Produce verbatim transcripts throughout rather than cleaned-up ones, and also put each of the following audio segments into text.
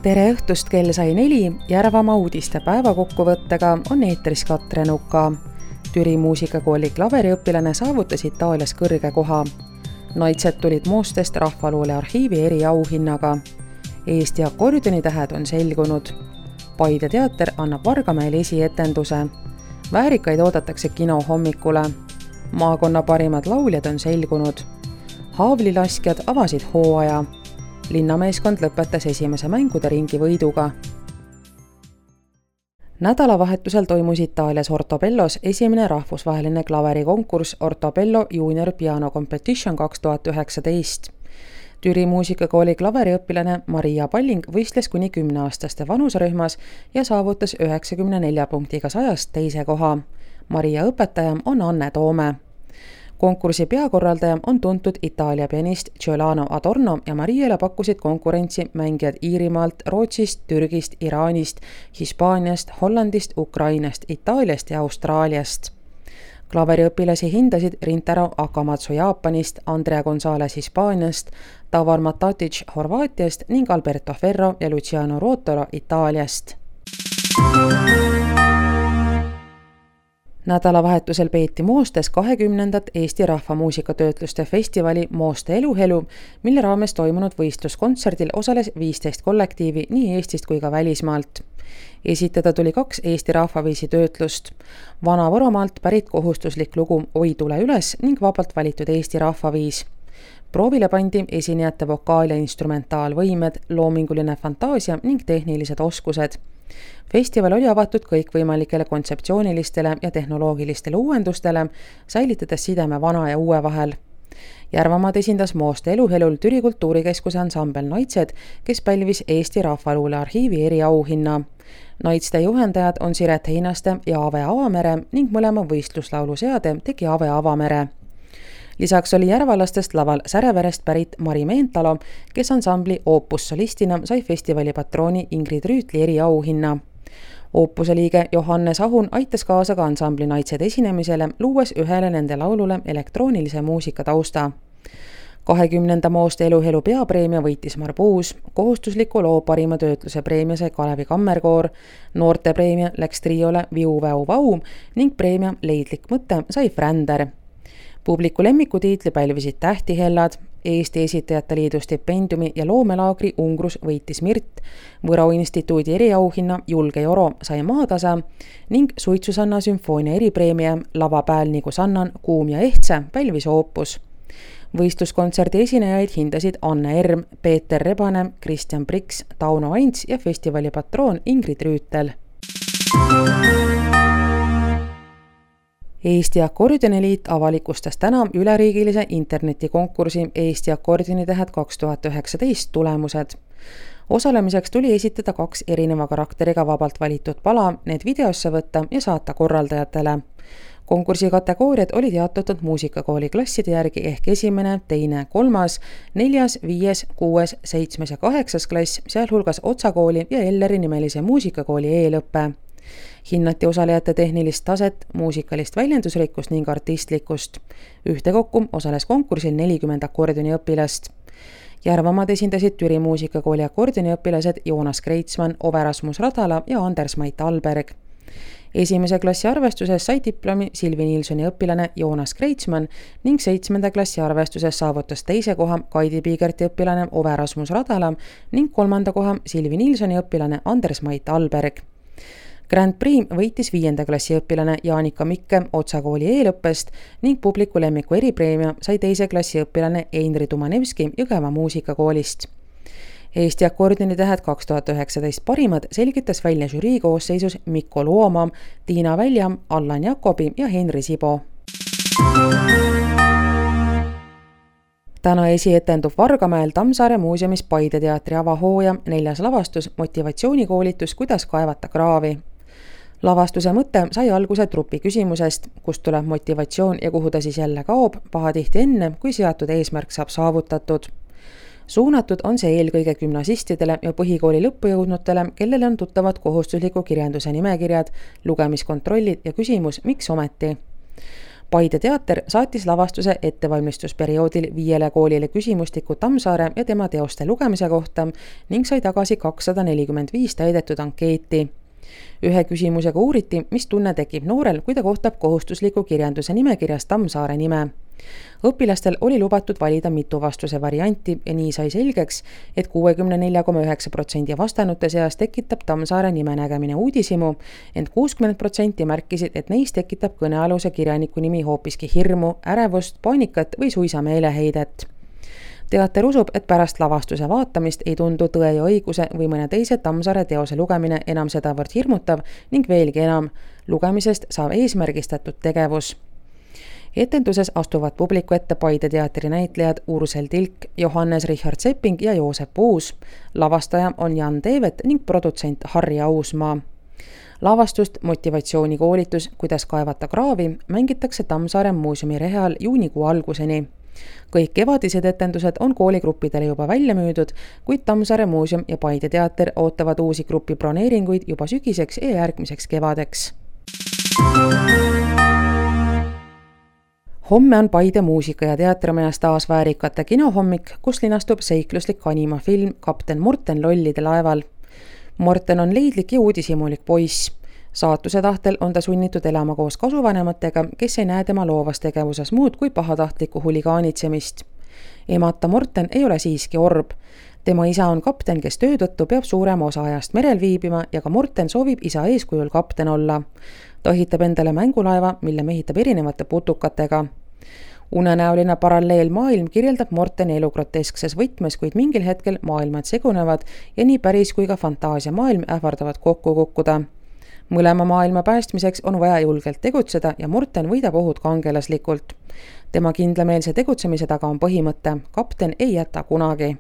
Tere õhtust, kell sai neli, Järvamaa uudiste päevakokkuvõttega on eetris Katre Nuka. Türi muusikakooli klaveriõpilane saavutas Itaalias kõrge koha. Naitsed tulid Moostest rahvaluule arhiivi eriauhinnaga. Eesti akordionitähed on selgunud. Paide teater annab Vargamäel esietenduse. Väärikaid oodatakse kino hommikule. Maakonna parimad lauljad on selgunud. Haavlilaskjad avasid hooaja. Linnameeskond lõpetas esimese mängude ringi võiduga. Nädalavahetusel toimus Itaalias Ortobellos esimene rahvusvaheline klaverikonkurss Ortobello Junior Piano Competition kaks tuhat üheksateist. Türi muusikakooli klaveriõpilane Maria Palling võistles kuni kümneaastaste vanusrühmas ja saavutas üheksakümne nelja punktiga sajast teise koha. Maria õpetaja on Anne Toome. Konkursi peakorraldaja on tuntud Itaalia pianist Giuliano Adorno ja Mariale pakkusid konkurentsi mängijad Iirimaalt, Rootsist, Türgist, Iraanist, Hispaaniast, Hollandist, Ukrainast, Itaaliast ja Austraaliast. Klaveriõpilasi hindasid Rintaro Akamatsu Jaapanist, Andrea Gonzalez Hispaaniast, Tavar Matatic Horvaatiast ning Alberto Ferro ja Luciano Ruotolo Itaaliast. Nädalavahetusel peeti Moostes kahekümnendat Eesti rahvamuusikatöötluste festivali Mooste eluhelu, mille raames toimunud võistluskontserdil osales viisteist kollektiivi nii Eestist kui ka välismaalt. Esitada tuli kaks Eesti rahvaviisi töötlust. Vana-Võromaalt pärit kohustuslik lugu Oi tule üles ning vabalt valitud Eesti rahvaviis. Proovile pandi esinejate vokaal- ja instrumentaalvõimed, loominguline fantaasia ning tehnilised oskused. Festival oli avatud kõikvõimalikele kontseptsioonilistele ja tehnoloogilistele uuendustele, säilitades sideme vana ja uue vahel. Järvamaad esindas Mooste eluhelul Türi kultuurikeskuse ansambel Naitsed, kes pälvis Eesti rahvaluule arhiivi eriauhinna. Naitste juhendajad on Siret Heinaste ja Ave Avamere ning mõlema võistluslaulu seade tegi Ave Avamere. Lisaks oli järvalastest laval Säreverest pärit Mari Meentalo, kes ansambli Opus solistina sai festivali patrooni Ingrid Rüütli eriauhinna. Opuse liige Johannes Ahun aitas kaasa ka ansambli Naitsed esinemisele, luues ühele nende laulule elektroonilise muusika tausta. kahekümnenda Mooste eluhelu peapreemia võitis Marbuus, kohustusliku loo parima töötluse preemia sai Kalevi Kammerkoor, noorte preemia läks triole Viu Väu Vau ning preemia Leidlik mõte sai Fränder. Publiku lemmikutiitli pälvisid Tähtihellad, Eesti Esitajate Liidu stipendiumi ja loomelaagri Ungrus võitis Mirt, Võro instituudi eriauhinna Julge Joro sai Maatasa ning Suitsusanna sümfoonia eripreemia Lavapääl nagu Sannan, Kuum ja Ehtse pälvis Opus. Võistluskontserdi esinejaid hindasid Anne Erm, Peeter Rebane, Kristjan Priks, Tauno Aints ja festivali patroon Ingrid Rüütel. Eesti Akordioniliit avalikustas täna üleriigilise internetikonkursi Eesti akordionitehed kaks tuhat üheksateist tulemused. Osalemiseks tuli esitada kaks erineva karakteriga vabalt valitud pala, need videosse võtta ja saata korraldajatele. Konkursi kategooriad olid jaotatud muusikakooli klasside järgi ehk esimene, teine, kolmas, neljas, viies, kuues, seitsmes ja kaheksas klass, sealhulgas Otsakooli ja Elleri nimelise muusikakooli eelõppe. Hinnati osalejate tehnilist taset, muusikalist väljendusrikkust ning artistlikkust. Ühtekokku osales konkursil nelikümmend akordioniõpilast. Järvamaad esindasid Türi muusikakooli akordioniõpilased Joonas Kreitsman, Ove Rasmus Radala ja Anders Mait Alberg. Esimese klassi arvestuses sai diplomi Silvi Niilsoni õpilane Joonas Kreitsman ning seitsmenda klassi arvestuses saavutas teise koha Kaidi Piigerti õpilane Ove Rasmus Radala ning kolmanda koha Silvi Niilsoni õpilane Anders Mait Alberg. Grand Prix võitis viienda klassi õpilane Jaanika Mikke Otsakooli eelõppest ning publiku lemmiku eripreemia sai teise klassi õpilane Einri Tumanevski Jõgeva muusikakoolist. Eesti akordionitehed kaks tuhat üheksateist parimad selgitas välja žürii koosseisus Mikko Luoma, Tiina Väljam, Allan Jakobi ja Henri Sibo. Täna esietendub Vargamäel Tammsaare muuseumis Paide teatri avahooja neljas lavastus motivatsioonikoolitus, kuidas kaevata kraavi. Lavastuse mõte sai alguse trupi küsimusest, kust tuleb motivatsioon ja kuhu ta siis jälle kaob, pahatihti enne, kui seatud eesmärk saab saavutatud. Suunatud on see eelkõige gümnasistidele ja põhikooli lõppujõudnutele, kellele on tuttavad kohustusliku kirjanduse nimekirjad, lugemiskontrollid ja küsimus, miks ometi. Paide teater saatis lavastuse ettevalmistusperioodil viiele koolile küsimustiku Tammsaare ja tema teoste lugemise kohta ning sai tagasi kakssada nelikümmend viis täidetud ankeeti. Ühe küsimusega uuriti, mis tunne tekib noorel, kui ta kohtab kohustusliku kirjanduse nimekirjas Tammsaare nime. Õpilastel oli lubatud valida mitu vastuse varianti ja nii sai selgeks, et kuuekümne nelja koma üheksa protsenti vastanute seas tekitab Tammsaare nime nägemine uudishimu, ent kuuskümmend protsenti märkisid, et neist tekitab kõnealuse kirjaniku nimi hoopiski hirmu, ärevust, paanikat või suisa meeleheidet. Teater usub, et pärast lavastuse vaatamist ei tundu Tõe ja õiguse või mõne teise Tammsaare teose lugemine enam sedavõrd hirmutav ning veelgi enam, lugemisest saab eesmärgistatud tegevus. Etenduses astuvad publiku ette Paide teatri näitlejad Ursel Tilk, Johannes Richard Sepping ja Joosep Uus. Lavastaja on Jan Teevet ning produtsent Harri Ausmaa. Lavastust motivatsioonikoolitus, kuidas kaevata kraavi, mängitakse Tammsaare muuseumi reheal juunikuu alguseni. Kõik kevadised etendused on kooligruppidele juba välja müüdud, kuid Tammsaare muuseum ja Paide teater ootavad uusi grupi broneeringuid juba sügiseks ja järgmiseks kevadeks. Homme on Paide muusika- ja teatrimajas taas väärikate kinohommik, kus linastub seikluslik animafilm Kapten Morten lollide laeval. Morten on leidlik ja uudishimulik poiss. Saatuse tahtel on ta sunnitud elama koos kasuvanematega, kes ei näe tema loovas tegevuses muud kui pahatahtlikku huligaanitsemist. Emata Morten ei ole siiski orb. Tema isa on kapten, kes töö tõttu peab suurema osa ajast merel viibima ja ka Morten soovib isa eeskujul kapten olla. Ta ehitab endale mängulaeva, mille mehitab erinevate putukatega. Unenäoline paralleelmaailm kirjeldab Morteni elu groteskses võtmes, kuid mingil hetkel maailmad segunevad ja nii päris kui ka fantaasiamaailm ähvardavad kokku kukkuda. Mõlema maailma päästmiseks on vaja julgelt tegutseda ja Morten võidab ohud kangelaslikult. Tema kindlameelse tegutsemise taga on põhimõte, kapten ei jäta kunagi.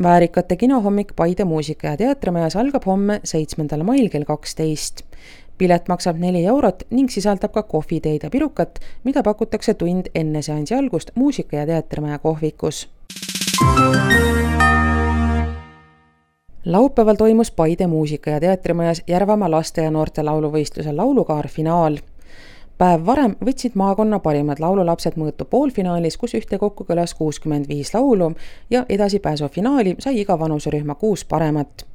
Väärikate kinohommik Paide muusika- ja teatrimajas algab homme seitsmendal mail kell kaksteist. Pilet maksab neli eurot ning sisaldab ka kohviteed ja pirukat, mida pakutakse tund enne seansi algust muusika- ja teatrimaja kohvikus. Laupäeval toimus Paide muusika- ja teatrimajas Järvamaa laste ja noorte lauluvõistluse laulukaar finaal. Päev varem võtsid maakonna parimad laululapsed mõõtu poolfinaalis, kus ühtekokku kõlas kuuskümmend viis laulu ja edasipääsu finaali sai iga vanuserühma kuus paremat.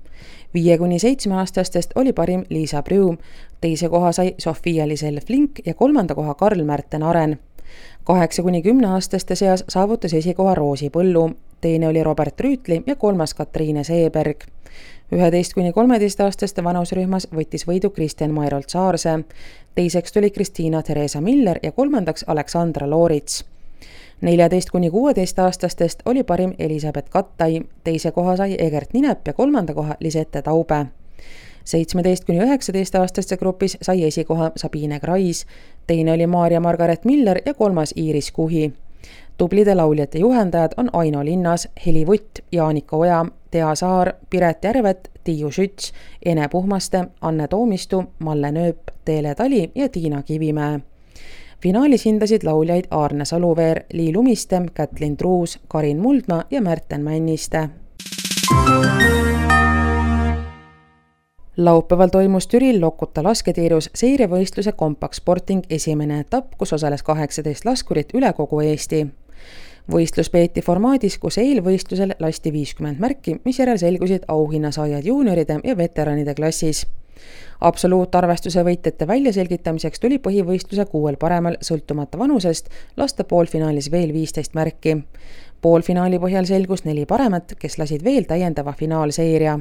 Viie kuni seitsme aastastest oli parim Liisa Prüu, teise koha sai Sofia Lisel Flink ja kolmanda koha Karl Märten Aren. Kaheksa kuni kümne aastaste seas saavutas esikoha Roosi Põllu, teine oli Robert Rüütli ja kolmas Katriine Seeberg. üheteist kuni kolmeteist aastaste vanuserühmas võttis võidu Kristjan Mairolt Saarse, teiseks tuli Kristiina Theresa Miller ja kolmandaks Aleksandra Loorits. neljateist kuni kuueteist aastastest oli parim Elisabeth Kattai, teise koha sai Egert Ninep ja kolmanda koha Lisette Taube. seitsmeteist kuni üheksateist aastaste grupis sai esikoha Sabine Krais, teine oli Maarja Margaret Miller ja kolmas Iiris Kuhi. Tublide lauljate juhendajad on Aino Linnas, Heli Vutt, Jaanika Oja, Tea Saar, Piret Järvet, Tiiu Schütz, Ene Puhmaste, Anne Toomistu, Malle Nööp, Teele Tali ja Tiina Kivimäe. Finaalis hindasid lauljaid Aarne Saluveer, Lii Lumiste, Kätlin Truus, Karin Muldma ja Märten Männiste. Laupäeval toimus Türil Lokuta lasketiirus seirevõistluse Compact Sporting esimene etapp, kus osales kaheksateist laskurit üle kogu Eesti. Võistlus peeti formaadis, kus eelvõistlusel lasti viiskümmend märki, mis järel selgusid auhinnasaajad juunioride ja veteranide klassis. Absoluutarvestuse võitjate väljaselgitamiseks tuli põhivõistluse kuuel paremal sõltumata vanusest lasta poolfinaalis veel viisteist märki. Poolfinaali põhjal selgus neli paremat, kes lasid veel täiendava finaalseeria.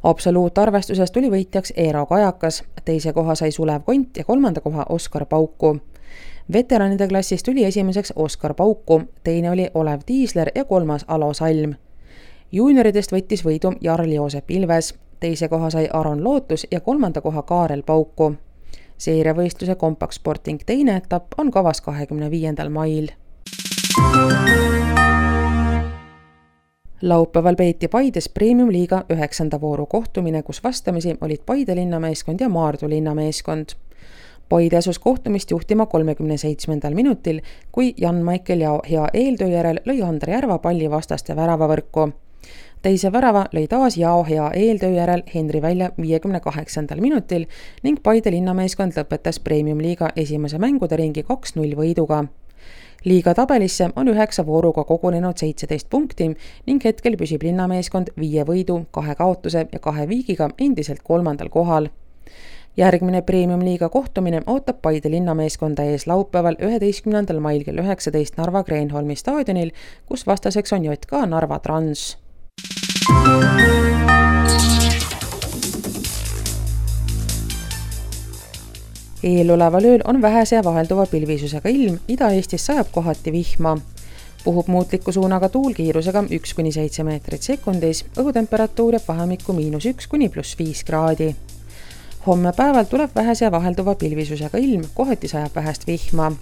Absoluutarvestuses tuli võitjaks Eero Kajakas, teise koha sai Sulev Kont ja kolmanda koha Oskar Pauku. Veteranide klassis tuli esimeseks Oskar Pauku, teine oli Olev Tiisler ja kolmas Alo Salm. Juunioridest võttis võidu Jarl Joosep Ilves, teise koha sai Aron Lootus ja kolmanda koha Kaarel Pauku. Seirevõistluse Compact Sporting teine etapp on kavas kahekümne viiendal mail. Laupäeval peeti Paides Premium-liiga üheksanda vooru kohtumine, kus vastamisi olid Paide linnameeskond ja Maardu linnameeskond. Paide asus kohtumist juhtima kolmekümne seitsmendal minutil, kui Jan Maicel ja hea eeltöö järel lõi Andre Järva palli vastaste väravavõrku. teise värava lõi taas Jao hea eeltöö järel Henri välja viiekümne kaheksandal minutil ning Paide linnameeskond lõpetas Premium-liiga esimese mängude ringi kaks null võiduga. Liiga tabelisse on üheksa vooruga kogunenud seitseteist punkti ning hetkel püsib linnameeskond viie võidu, kahe kaotuse ja kahe viigiga endiselt kolmandal kohal. Järgmine Premium-liiga kohtumine ootab Paide linnameeskonda ees laupäeval üheteistkümnendal mail kell üheksateist Narva Kreenholmi staadionil, kus vastaseks on J K Narva Trans. Eeloleval ööl on vähese ja vahelduva pilvisusega ilm, Ida-Eestis sajab kohati vihma. Puhub muutliku suunaga tuul kiirusega üks kuni seitse meetrit sekundis, õhutemperatuur jääb vahemikku miinus üks kuni pluss viis kraadi. Homme päeval tuleb vähese ja vahelduva pilvisusega ilm, kohati sajab vähest vihma.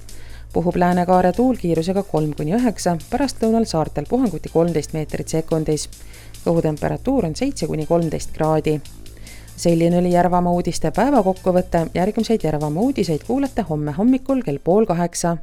Puhub läänekaare tuul kiirusega kolm kuni üheksa, pärast lõunal saartel puhanguti kolmteist meetrit sekundis. Õhutemperatuur on seitse kuni kolmteist kraadi. Selline oli Järvamaa uudiste päevakokkuvõte, järgmiseid Järvamaa uudiseid kuulete homme hommikul kell pool kaheksa.